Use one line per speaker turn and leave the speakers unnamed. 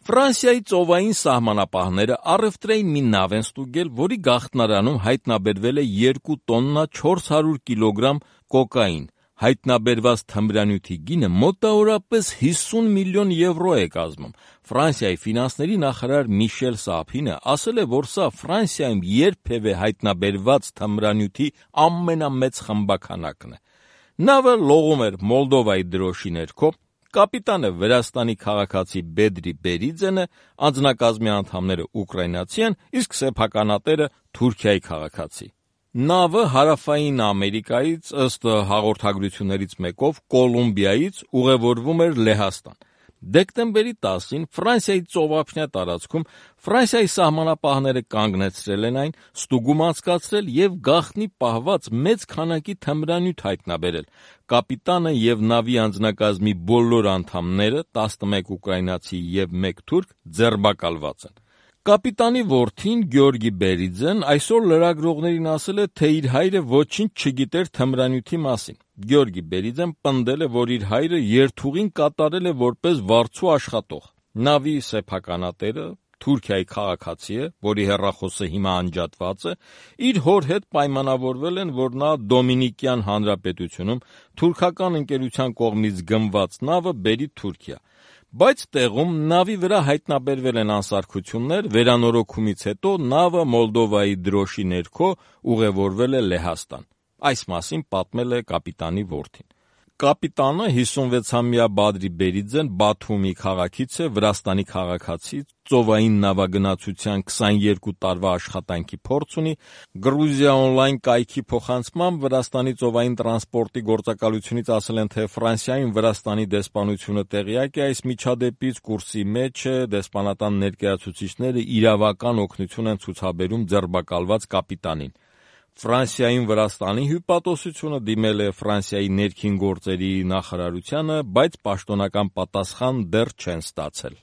Ֆրանսիայի ծովային սահմանապահները առևտրային մի նավ են ստուգել, որի գաղտնարանում հայտնաբերվել է 2 տոննա 400 կիլոգրամ կոկային։ Հայտնաբերված թմրանյութի գինը մոտավորապես 50 միլիոն եվրո է կազմում։ Ֆրանսիայի ֆինանսների նախարար Միշել Սափինը ասել է, որ սա Ֆրանսիայում երբևէ հայտնաբերված թմրանյութի ամենամեծ խմբաքանակն է։ Նավը լողում էր Մոլդովայի դրոշի ներքո, կապիտանը Վրաստանի քաղաքացի Բեդրի Բերիձեն է, անձնակազմի անդամները ուկրաինացի են, իսկ սեփականատերը Թուրքիայի քաղաքացի։ Նավը հարավային Ամերիկայից, ըստ հաղորդագրություններից մեկով, Կոլումբիայից ուղևորվում էր Լեհաստան։ Դեկտեմբերի 10-ին Ֆրանսիայի ծովափնյա տարածքում Ֆրանսիայի սահմանապահները կանգնեցրել են այն, ստուգում անցկացրել եւ գաղտնի պահված մեծ քանակի թմրանյութ հայտնաբերել։ Կապիտանը եւ նավի անձնակազմի բոլոր անդամները, 11 ուկրաինացի եւ 1 թուրք, ձերբակալված են։ Կապիտանի որդին Գյորգի Բերիձեն այսօր լրագրողներին ասել է, թե իր հայրը ոչինչ չգիտեր թմրանյութի մասին։ Գյորգի Բերիձեն պնդել է, որ իր հայրը երթուղին կատարել է որպես վարձու աշխատող։ Նավի սեփականատերը Թուրքիայի քաղաքացի է, որի հեռախոսը հիմա անջատված է, իր հոր հետ պայմանավորվել են, որ նա Դոմինիկյան Հանրապետությունում թուրքական ընկերության կողմից գնված նավը բերի Թուրքիա։ Բայց տեղում նավի վրա հայտնաբերվել են անսարքություններ, վերանորոգումից հետո նավը Մոլդովայի դրոշի ներքո ուղևորվել է Լեհաստան։ Այս մասին պատմել է կապիտանի որդին։ Կապիտանը 56-ամյա Բադրի Բերիձեն Բաթումի քաղաքից է, Վրաստանի քաղաքացի, ծովային նավագնացության 22 տարվա աշխատանքի փորձ ունի։ Գրուզիա օնլայն կայքի փոխանցմամբ Վրաստանի ծովային տրանսպորտի գործակալությունից ասել են, թե Ֆրանսիայում Վրաստանի դեսպանությունը տեղյակ է այս միջադեպից, կուրսի մեջ է, դեսպանատան ներկայացուցիչները իրավական օգնություն են ցուցաբերում ձերբակալված կապիտանին։ Ֆրանսիայում Վրաստանի հյուպատոսությունը դիմել է Ֆրանսիայի ներքին գործերի նախարարությանը, բայց պաշտոնական պատասխան դեռ չեն ստացել։